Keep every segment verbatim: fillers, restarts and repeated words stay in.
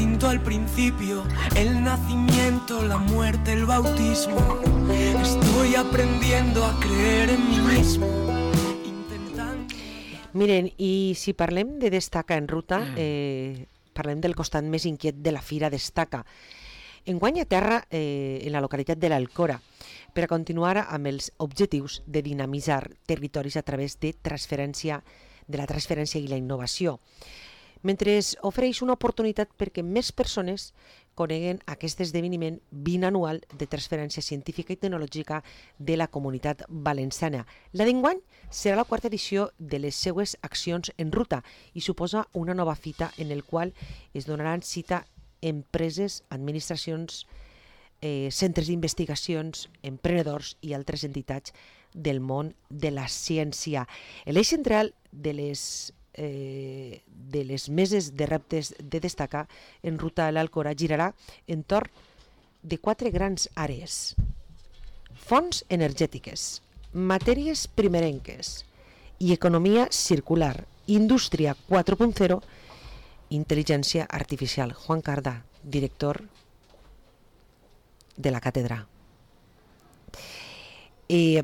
distinto al principio, el nacimiento, la muerte, el bautismo. Estoy aprendiendo a creer en mí mismo. Intentando... Miren, i si parlem de Destaca en ruta, eh, parlem del costat més inquiet de la Fira Destaca. Enguany a terra, eh, en la localitat de l'Alcora, per a continuar amb els objectius de dinamitzar territoris a través de transferència, de la transferència i la innovació, mentre ofereix una oportunitat perquè més persones coneguen aquest esdeveniment binanual de transferència científica i tecnològica de la comunitat valenciana. La d'enguany serà la quarta edició de les seues accions en ruta i suposa una nova fita en el qual es donaran cita empreses, administracions, eh, centres d'investigacions, emprenedors i altres entitats del món de la ciència. L'eix central de les Eh, de les meses de reptes de Destaca en ruta a l'Alcora girarà entorn de quatre grans àrees: fonts energètiques, matèries primerenques i economia circular, indústria quatre punt zero, intel·ligència artificial. Juan Cardà, director de la càtedra. Eh,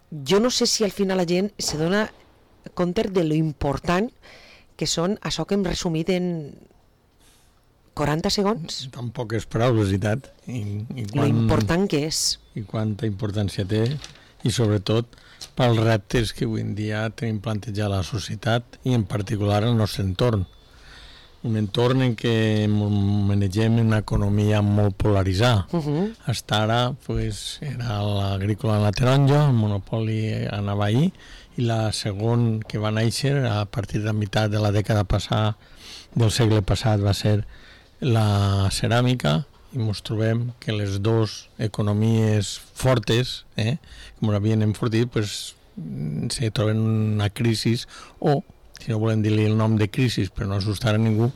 jo no sé si al final la gent se dona compte de lo important que són això que hem resumit en quaranta segons. Tan poques paraules, i tant. I, i quan, lo important que és. I quanta importància té, i sobretot pels reptes que avui en dia tenim plantejat a la societat i en particular al nostre entorn. Un entorn en què manegem una economia molt polaritzada. Uh-huh. Hasta ara pues, era l'agrícola en la taronja, el monopoli anava ahir, i la segon que va néixer a partir de la meitat de la dècada passada del segle passat va ser la ceràmica, i ens trobem que les dues economies fortes, eh, com l'havien enfortit, pues, se troben una crisi, o, si no volem dir-li el nom de crisi per no assustar a ningú,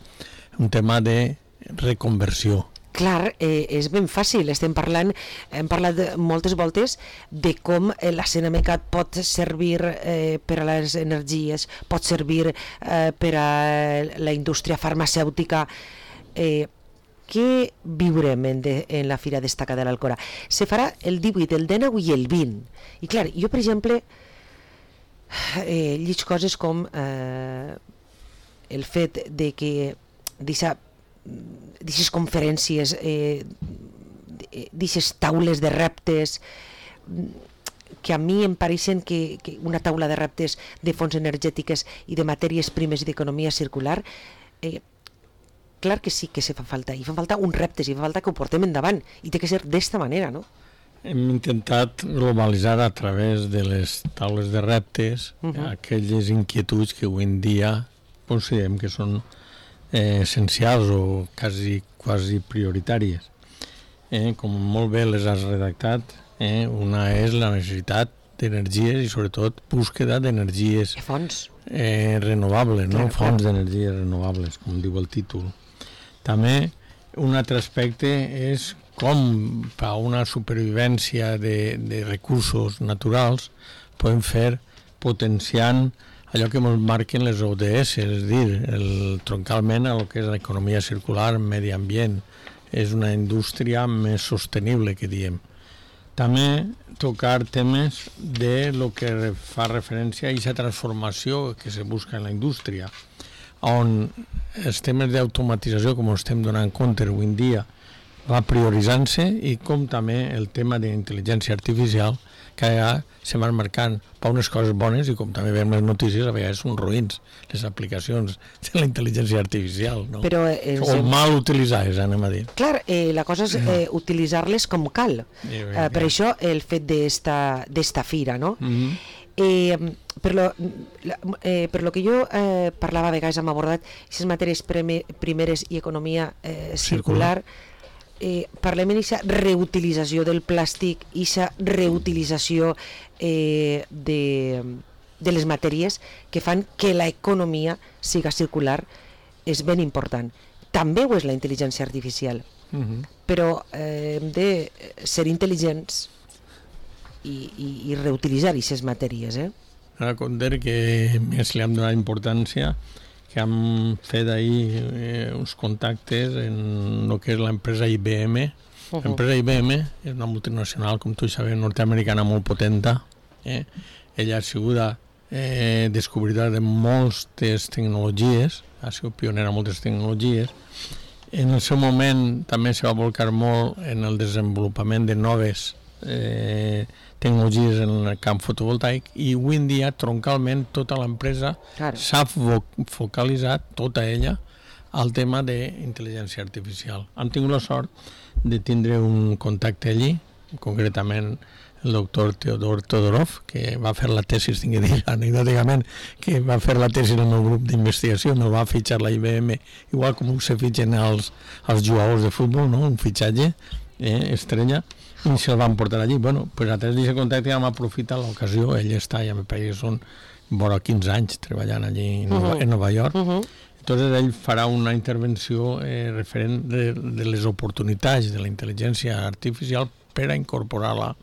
un tema de reconversió. Clar, eh, és ben fàcil, estem parlant, hem parlat moltes voltes de com eh, la ceràmica pot servir eh, per a les energies, pot servir eh, per a la indústria farmacèutica. Eh, què viurem en, de, en la Fira Destaca de l'Alcora? Se farà el divuit, el dinou i el vint. I clar, jo per exemple eh, lleig coses com eh, el fet de que deixa d'aquestes conferències, eh, d'aquestes taules de reptes, que a mi em pareixen que, que una taula de reptes de fonts energètiques i de matèries primes i d'economia circular, eh, clar que sí que se fa falta, i fa falta uns reptes, i fa falta que ho portem endavant, i té que ser d'esta manera, no? Hem intentat globalitzar a través de les taules de reptes uh-huh. aquelles inquietuds que avui en dia considerem que són Eh, essencials o quasi, quasi prioritàries. Eh, com molt bé les has redactat, eh, una és la necessitat d'energies i sobretot búsqueda d'energies fonts eh, renovables, no? Clar, Fonts clar. d'energies renovables, com diu el títol. També un altre aspecte és com per a una supervivència de, de recursos naturals podem fer potenciant allò que ens marquen les O D S, és a dir, el, troncalment a el que és l'economia circular, medi ambient, és una indústria més sostenible, que diem. També tocar temes de lo que fa referència a aquesta transformació que se busca en la indústria, on els temes d'automatització, com estem donant compte avui en dia, va prioritzant-se, i com també el tema d'intel·ligència artificial, que ja se van marcant per unes coses bones, i com també veiem les notícies, a vegades són ruïns les aplicacions de la intel·ligència artificial, no? Però, eh, o mal utilitzades, anem a dir. Clar, eh, la cosa és eh, utilitzar-les com cal. Eh, per això el fet d'esta, d'esta fira, no? Mm-hmm. Eh, per, lo, eh, per lo que jo eh, parlava a vegades, hem abordat aquestes matèries primeres i economia eh, circular, circular. Eh, parlem d'aquesta reutilització del plàstic i aquesta reutilització eh, de, de les matèries que fan que l'economia siga circular, és ben important. També ho és la intel·ligència artificial, uh-huh. però eh, hem de ser intel·ligents i, i, i reutilitzar aquestes matèries. Eh? Ara compte que més li hem donat importància que han fet ahir eh, uns contactes en el que és l'empresa I B M. Uh -huh. L'empresa I B M és una multinacional, com tu sabes, nord-americana molt potenta. Eh? Ella ha sigut eh, descobridora de moltes tecnologies, ha sigut pionera en moltes tecnologies. En el seu moment també se va volcar molt en el desenvolupament de noves eh, tecnologies en el camp fotovoltaic, i avui en dia, troncalment, tota l'empresa claro. s'ha fo focalitzat, tota ella, al tema d'intel·ligència artificial. Hem tingut la sort de tindre un contacte allí, concretament el doctor Teodor Todorov, que va fer la tesi, tinc que dir anecdòticament, que va fer la tesi en el meu grup d'investigació, me'l va fitxar la I B M, igual com se fitxen els, els jugadors de futbol, no? Un fitxatge eh, estrella, i se'l van portar allí. Bueno, pues a través d'aquest contacte vam aprofitar l'ocasió, ell està, ja me pareix que són vora quinze anys treballant allí en, uh -huh. en Nova York. Uh -huh. Entonces ell farà una intervenció eh, referent de, de les oportunitats de la intel·ligència artificial per a incorporar-la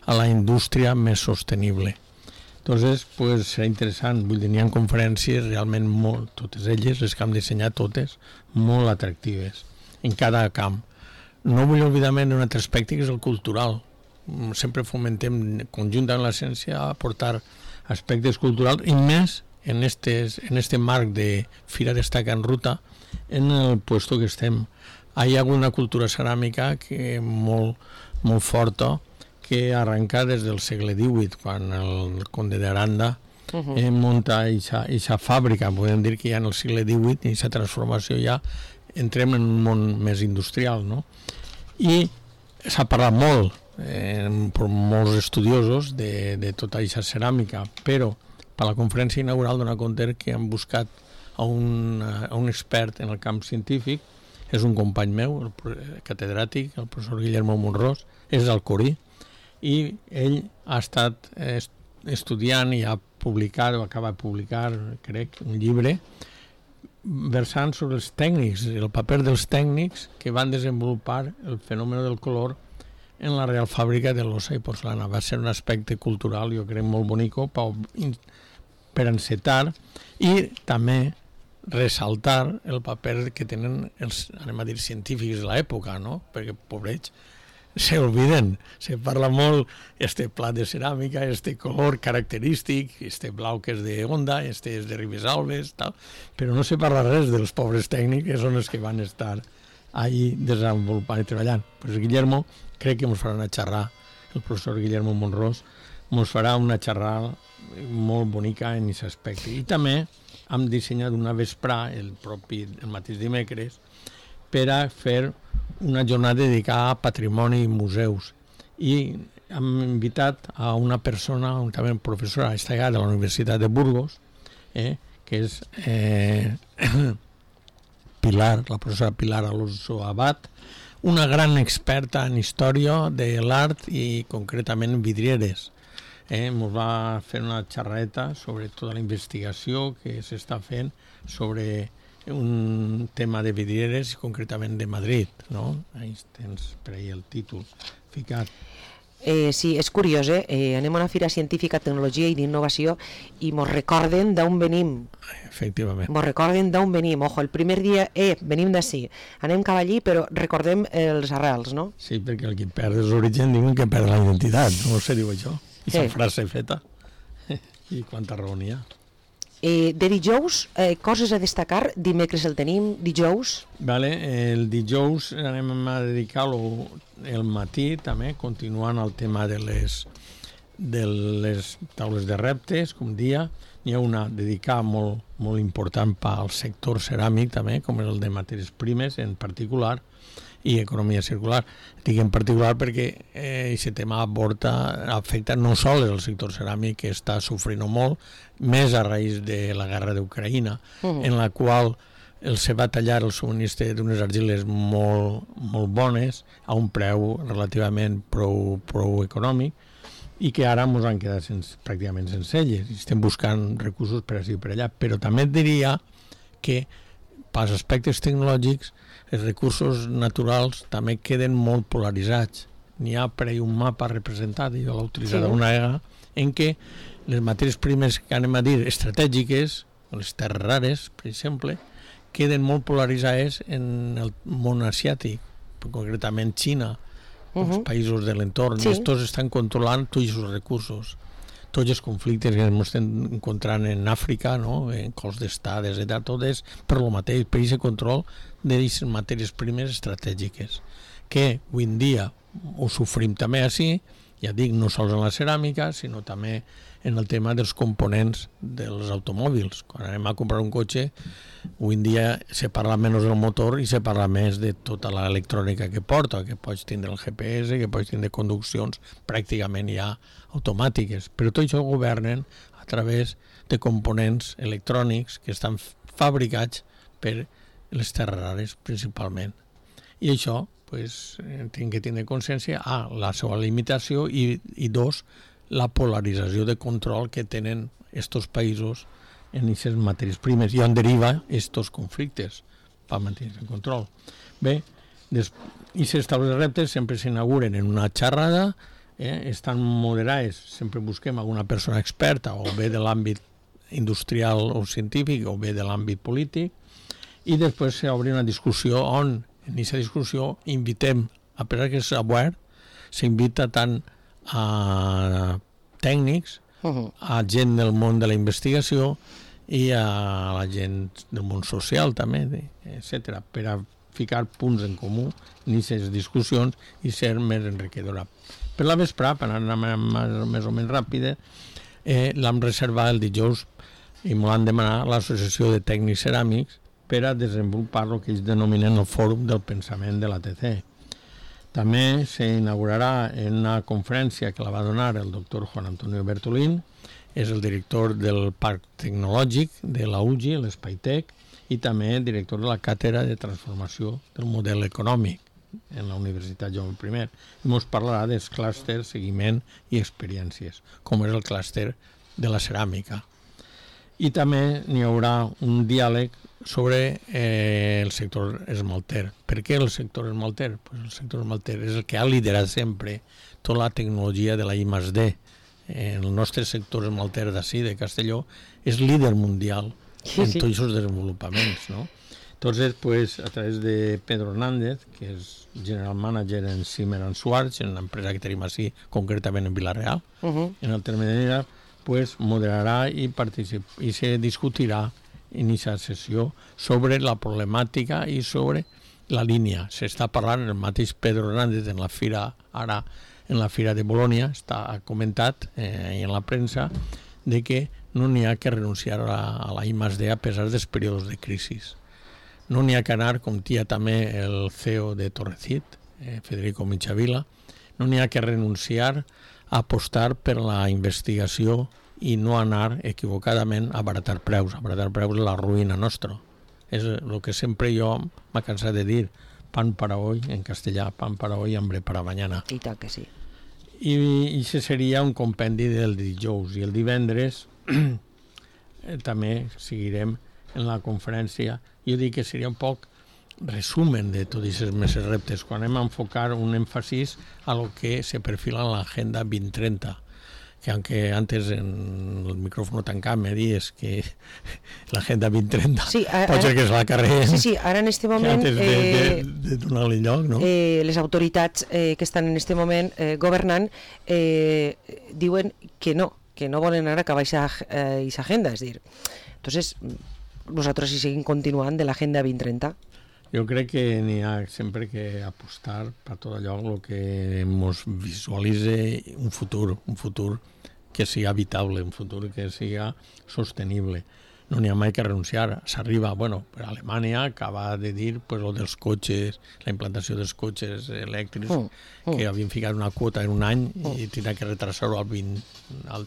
a la indústria més sostenible. Entonces, pues, serà interessant. Vull dir, n'hi ha conferències realment molt, totes elles, les que hem dissenyat totes, molt atractives, en cada camp. No vull oblidar-me d'un altre aspecte, que és el cultural. Sempre fomentem conjuntament la ciència a aportar aspectes culturals, i més en, estes, en este marc de Fira Destaca en Ruta, en el puesto que estem. Hi ha hagut una cultura ceràmica que molt, molt forta, que arrenca des del segle divuit, quan el conde d'Aranda uh -huh. eh, munta aquesta fàbrica. Podem dir que ja en el segle divuit, i aquesta transformació ja entrem en un món més industrial, no? I s'ha parlat molt eh, per molts estudiosos de, de tota aquesta ceràmica, però per la conferència inaugural dona compte que han buscat a un, a un expert en el camp científic. És un company meu, el catedràtic, el professor Guillermo Monrós, és d'Alcorí, i ell ha estat estudiant i ha publicat, o acaba de publicar, crec, un llibre versant sobre els tècnics, el paper dels tècnics que van desenvolupar el fenomen del color en la Real Fàbrica de l'Ossa i Porcelana. Va ser un aspecte cultural, jo crec, molt bonico per encetar i també ressaltar el paper que tenen els, anem a dir, científics de l'època, no? Perquè, pobrets, se olviden, se parla molt este plat de ceràmica, este color característic, este blau que és de Onda, este és de Ribesalbes, tal, però no se parla res dels pobres tècnics, que són els que van estar ahí desenvolupant i treballant. Pues Guillermo, crec que ens farà una xerrada, el professor Guillermo Monrós, ens farà una xerrada molt bonica en aquest aspecte. I també hem dissenyat una vesprà, el propi, el mateix dimecres, per a fer una jornada dedicada a patrimoni i museus, i hem invitat a una persona, també professora destacada de la Universitat de Burgos, eh, que és eh, Pilar, la professora Pilar Alonso Abad, una gran experta en història de l'art i concretament en vidrieres. Eh, ens va fer una xerreta sobre tota la investigació que s'està fent sobre un tema de vidrieres, concretament de Madrid, no? Ahí tens per ahí el títol ficat. Eh, sí, és curiós, eh? eh? Anem a una fira científica, tecnologia i d'innovació i mos recorden d'on venim. Efectivament. Mos recorden d'on venim. Ojo, el primer dia, eh, venim d'ací. Anem cap allí, però recordem els arrels, no? Sí, perquè el que perd els orígens diuen que perd la identitat, no sé, diu això. I la frase feta. I quanta raó n'hi ha. Eh, de dijous, eh, coses a destacar, dimecres el tenim, dijous? Vale, el dijous anem a dedicar-lo el matí també, continuant el tema de les, de les taules de reptes, com dia. N'hi ha una dedicada molt, molt important pel sector ceràmic també, com és el de matèries primes en particular, i economia circular. Dic en particular perquè aquest eh, tema aborda, afecta no sols el sector ceràmic, que està sofrint molt, més a raïs de la guerra d'Ucraïna, uh-huh. en la qual el se va tallar el subministre d'unes argiles molt, molt bones a un preu relativament prou, prou econòmic, i que ara ens han quedat sense, pràcticament sense elles. Estem buscant recursos per així i per allà. Però també et diria que pels aspectes tecnològics els recursos naturals també queden molt polaritzats. N'hi ha per ahí un mapa representat, jo l'he utilitzat sí. una vegada, en què les matèries primes que anem a dir estratègiques, les terres rares, per exemple, queden molt polaritzades en el món asiàtic, concretament Xina, uh-huh. els països de l'entorn. Sí. Estos estan controlant tots els recursos. Tots els conflictes que ens estem encontrant en Àfrica, no? En cols d'estat, etcètera, tot és per lo mateix, per aquest control de les matèries primeres estratègiques, que avui en dia ho sofrim també així, ja dic, no sols en la ceràmica, sinó també en el tema dels components dels automòbils. Quan anem a comprar un cotxe, avui en dia se parla menys del motor i se parla més de tota l'electrònica que porta, que pots tindre el G P S, que pots tindre conduccions pràcticament ja automàtiques. Però tot això ho governen a través de components electrònics que estan fabricats per les terres rares, principalment. I això, pues, tinc que tindre consciència, a, la seva limitació i, i dos, la polarització de control que tenen estos països en aquestes matèries primes i on deriva estos conflictes per mantenir el control. Bé, aquestes taules de reptes sempre s'inauguren en una xerrada, eh, estan moderades, sempre busquem alguna persona experta o bé de l'àmbit industrial o científic o bé de l'àmbit polític, i després s'obre una discussió on en aquesta discussió invitem, a pesar que és obert, s'invita tant a tècnics, uh-huh. a gent del món de la investigació i a la gent del món social també, etcètera, per a ficar punts en comú en aquestes discussions i ser més enriquidora. Per la vesprà, per anar més o menys ràpida, eh, l'hem reservat el dijous i m'ho han demanat l'Associació de Tècnics Ceràmics per a desenvolupar el que ells denominen el Fòrum del Pensament de l'A T C. També s'inaugurarà en una conferència que la va donar el doctor Juan Antonio Bertolín, és el director del Parc Tecnològic de la U G I, l'Espaitek, i també director de la Càtedra de Transformació del Model Econòmic en la Universitat Jaume I. I ens parlarà dels clústers, seguiment i experiències, com és el clúster de la ceràmica. I també n'hi haurà un diàleg sobre eh, el sector esmalter. Per què el sector esmalter? Pues el sector esmalter és el que ha liderat sempre tota la tecnologia de la I més D. Eh, el nostre sector esmalter d'ací, de Castelló, és líder mundial sí, en sí. tots els desenvolupaments, no? Entonces, pues, a través de Pedro Hernández, que és General Manager en Zimmer and Schwartz, en una empresa que tenim així, concretament en Vila-real, uh-huh. en el terme de Nera, pues, moderarà i, particip- i se discutirà en aquesta sessió sobre la problemàtica i sobre la línia. S'està parlant, el mateix Pedro Hernández en la fira, ara en la fira de Bolònia, està comentat eh, en la premsa de que no n'hi ha que renunciar a la, a la I més D a pesar dels períodes de crisi. No n'hi ha que anar, com tia també el C E O de Torrecit, eh, Federico Michavila, no n'hi ha que renunciar a apostar per la investigació i no anar equivocadament a abaratar preus. Abaratar preus és la ruïna nostra. És el que sempre jo m'ha cansat de dir, pan para hoy, en castellà, pan para hoy, hambre para mañana. I tant que sí. I això seria un compendi del dijous. I el divendres eh, també seguirem en la conferència. Jo dic que seria un poc resumen de tots aquests meses reptes, quan hem enfocar un èmfasis a lo que se perfila en l'agenda vint trenta, que aunque antes en el micrófono tancat me dies que l'agenda vint trenta sí, ara, pot ser que es la carreguen. Sí, sí, ara en este moment antes de, eh, de, de donar-li lloc, no? Eh, les autoritats eh, que estan en este moment eh, governant eh, diuen que no, que no volen ara acabar aquesta eh, agenda, és dir, entonces nosaltres hi seguim continuant de l'agenda vint trenta. Jo crec que n'hi ha sempre que apostar per tot allò el que ens visualitza un futur, un futur que sigui habitable, un futur que sigui sostenible. No n'hi ha mai que renunciar. S'arriba, bueno, per Alemanya acaba de dir pues, lo dels cotxes, la implantació dels cotxes elèctrics, mm, mm. que havien ficat una quota en un any mm. i tindrà que retrasar-ho al vint, al,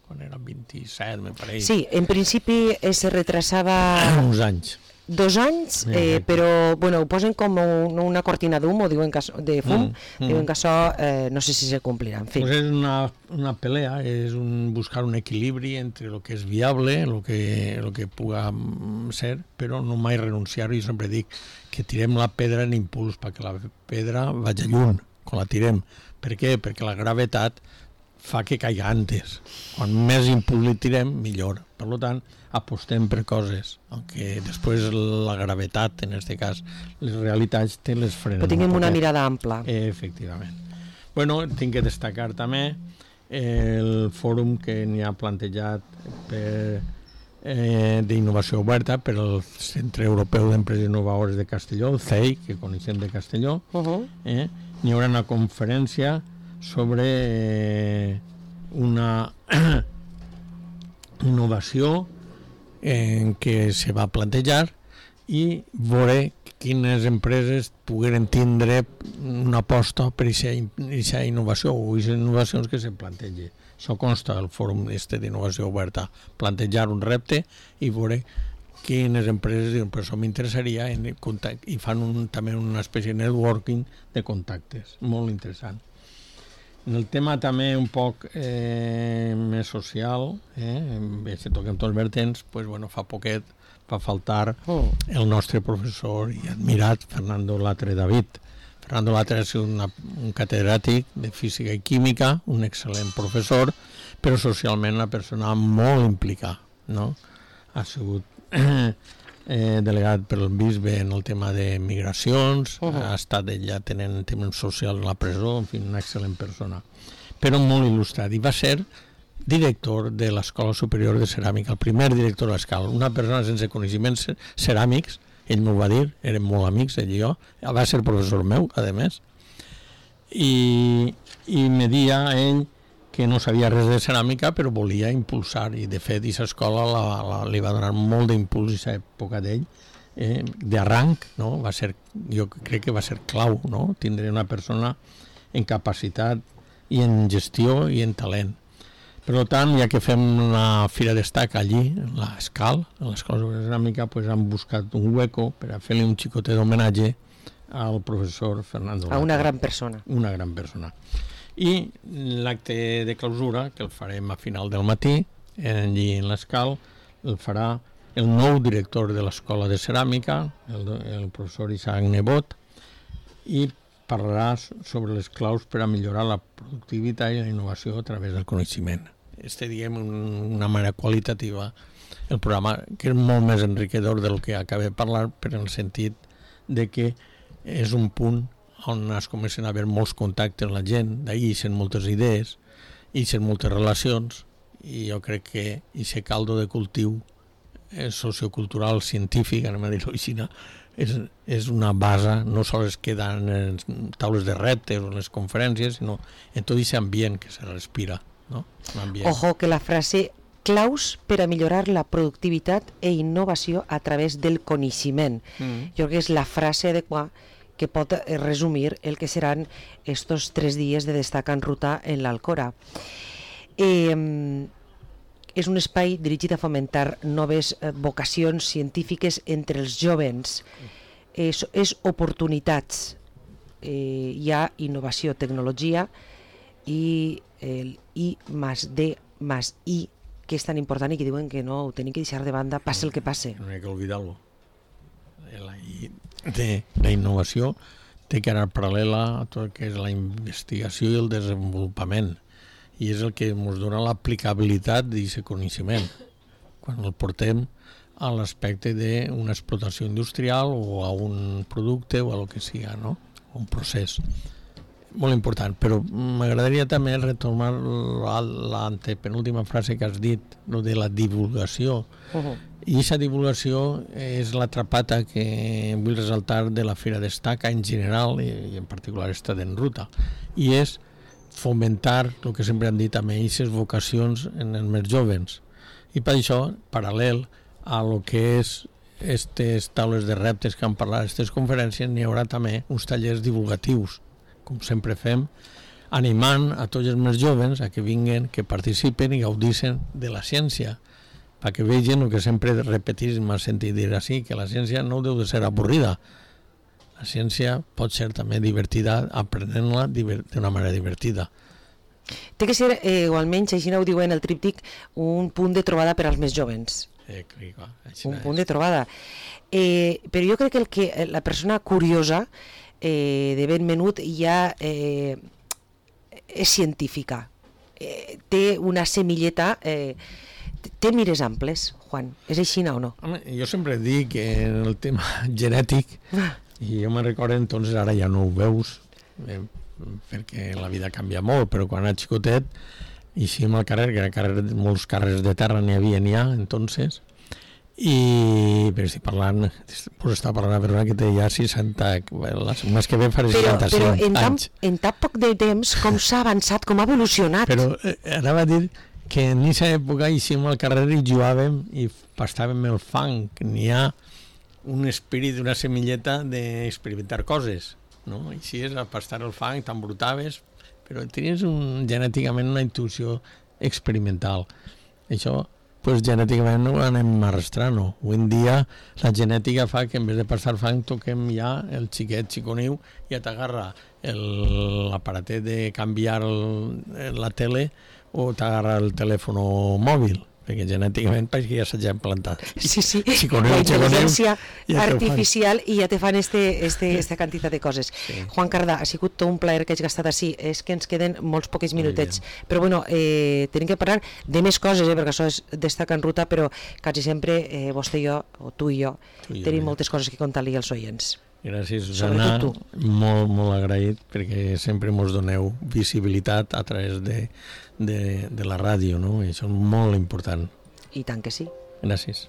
quan era vint-i-set, me pareix. Sí, en principi eh, se retrasava... uns anys. Dos anys, eh, però bueno, ho posen com un, una cortina d'hum o diuen que, de fum, mm, mm. diuen que això eh, no sé si se complirà. En fi. Pues és una, una pelea, és un, buscar un equilibri entre el que és viable, el que, el que puga ser, però no mai renunciar. Jo sempre dic que tirem la pedra en impuls perquè la pedra vagi lluny quan la tirem. Per què? Perquè la gravetat fa que caiga antes. Quan més impuls li tirem, millor. Per tant, apostem per coses, aunque després la gravetat, en aquest cas, les realitats te les frenen. Però tinguem una mirada ampla. Eh, efectivament. Bueno, tinc que destacar també el fòrum que n'hi ha plantejat per, eh, d'innovació oberta per al Centre Europeu d'Empreses Innovadores de Castelló, el C E I, que coneixem de Castelló. Uh-huh. eh? N'hi haurà una conferència sobre eh, una innovació en què se va plantejar i veure quines empreses pogueren tindre una aposta per aquesta innovació o aquestes innovacions que se plantegi. Això consta del fòrum este d'innovació oberta, plantejar un repte i veure quines empreses diuen, però això m'interessaria i fan un, també una espècie de networking de contactes, molt interessant. En el tema també un poc eh, més social, eh, si toquem tots els vertents, pues, bueno, fa poquet va faltar oh. el nostre professor i admirat Fernando Latre David. Fernando Latre és una, un catedràtic de física i química, un excel·lent professor, però socialment una persona molt implicada, no? Ha sigut eh, delegat pel bisbe en el tema de migracions, uh -huh. ha estat ella tenint temes socials a la presó, en fi, una excel·lent persona, però molt il·lustrat, i va ser director de l'Escola Superior de Ceràmica, el primer director de l'escola, una persona sense coneixements ceràmics, ell m'ho va dir, érem molt amics, ell i jo, va ser professor meu, a més, i, i me dia ell que no sabia res de ceràmica, però volia impulsar, i de fet, aquesta escola la, la, li va donar molt d'impuls a època d'ell, eh, d'arranc, no? Va ser, jo crec que va ser clau, no? Tindre una persona en capacitat i en gestió i en talent. Per tant, ja que fem una fira d'estaca allí, a l'Escal, a l'Escola de Ceràmica, pues han buscat un hueco per a fer-li un xicotet d'homenatge al professor Fernando Latre. A una gran persona. Una gran persona. I l'acte de clausura, que el farem a final del matí, allí en l'Escal, el farà el nou director de l'Escola de Ceràmica, el, el professor Isaac Nebot, i parlarà sobre les claus per a millorar la productivitat i la innovació a través del coneixement. Este, diguem, una manera qualitativa, el programa, que és molt més enriquidor del que acabé de parlar, per en el sentit de que és un punt on es comencen a haver molts contactes amb la gent, d'ahir ixen moltes idees, ixen moltes relacions, i jo crec que aquest caldo de cultiu sociocultural, científic, anem a dir-ho així, és, és una base, no sols es queda en les taules de reptes o en les conferències, sinó en tot aquest ambient que se respira. No? Ojo, que la frase claus per a millorar la productivitat e innovació a través del coneixement. Mm. Jo crec que és la frase adequada que pot resumir el que seran estos tres dies de Destaca en Ruta en l'Alcora. Eh, és un espai dirigit a fomentar noves eh, vocacions científiques entre els jóvens. És, és oportunitats. Eh, hi ha innovació, tecnologia i el I más D más I, que és tan important i que diuen que no ho tenim que deixar de banda, passe el que passe. No hi ha que oblidar-lo. La, de, la innovació té que anar paral·lela a tot el que és la investigació i el desenvolupament, i és el que ens dona l'aplicabilitat d'aquest coneixement quan el portem a l'aspecte d'una explotació industrial o a un producte o a lo que siga, no? Un procés molt important. Però m'agradaria també retomar l'antepenúltima frase que has dit, no, de la divulgació. Uh-huh. I aquesta divulgació és l'atrapata que vull resaltar de la Fira Destaca en general i en particular esta d'en Ruta, i és fomentar el que sempre han dit també, aquestes vocacions en els més jóvens. I per això, paral·lel a lo que és aquestes taules de reptes que han parlat, aquestes conferències, n'hi haurà també uns tallers divulgatius, com sempre fem, animant a tots els més jóvens a que vinguen, que participen i gaudissin de la ciència, perquè vegin el que sempre repetís, m'ha sentit dir així, que la ciència no deu de ser avorrida. La ciència pot ser també divertida, aprenent-la d'una manera divertida. Té que ser, eh, o almenys, així ho diuen el tríptic, un punt de trobada per als més jóvens. Eh, clar, un punt de trobada. Eh, però jo crec que, el que la persona curiosa eh, de ben menut ja eh, és científica. eh, té una semilleta, eh, té mires amples, Juan, és així o no? Home, jo sempre dic que en el tema genètic, i jo me recordo entonces, ara ja no ho veus, eh, perquè la vida canvia molt, però quan era xicotet, eixíem al carrer, que era carrer, molts carrers de terra n'hi havia n'hi ha, entonces, i però estic parlant, pues estava parlant a Verona que té ja seixanta, el mes que ve faré seixanta-cinc però, però en tan, anys. en tan poc de temps, com s'ha avançat, com ha evolucionat. Però eh, anava a dir que en aquesta època eixíem al carrer i jugàvem i pastàvem el fang, n'hi ha un espírit, una semilleta d'experimentar coses, no? Així és, a pastar el fang, t'embrutaves, però tenies un, genèticament una intuïció experimental. Això, pues, genèticament no ho anem arrastrant, no? Avui en dia la genètica fa que en vez de pastar fang toquem ja el xiquet xiconiu i ja t'agarra l'aparatet de canviar el, la tele o t'agarra el telèfon mòbil, perquè genèticament pareix que ja s'ha implantat. Sí, sí, Xiconeu, la intel·ligència ja artificial i ja te fan este, este, esta quantitat de coses. Sí. Juan Cardà, ha sigut tot un plaer que hagi gastat així, és que ens queden molts poquets minutets, però bueno, eh, tenim que parlar de més coses, eh, perquè això és Destaca en Ruta, però quasi sempre eh, vostè i jo, o tu i jo, tu i jo tenim ja. moltes coses que contar-li als oients. Gràcies, Susana, molt, molt agraït, perquè sempre mos doneu visibilitat a través de, de, de la ràdio, no? I això és molt important. I tant que sí. Gràcies.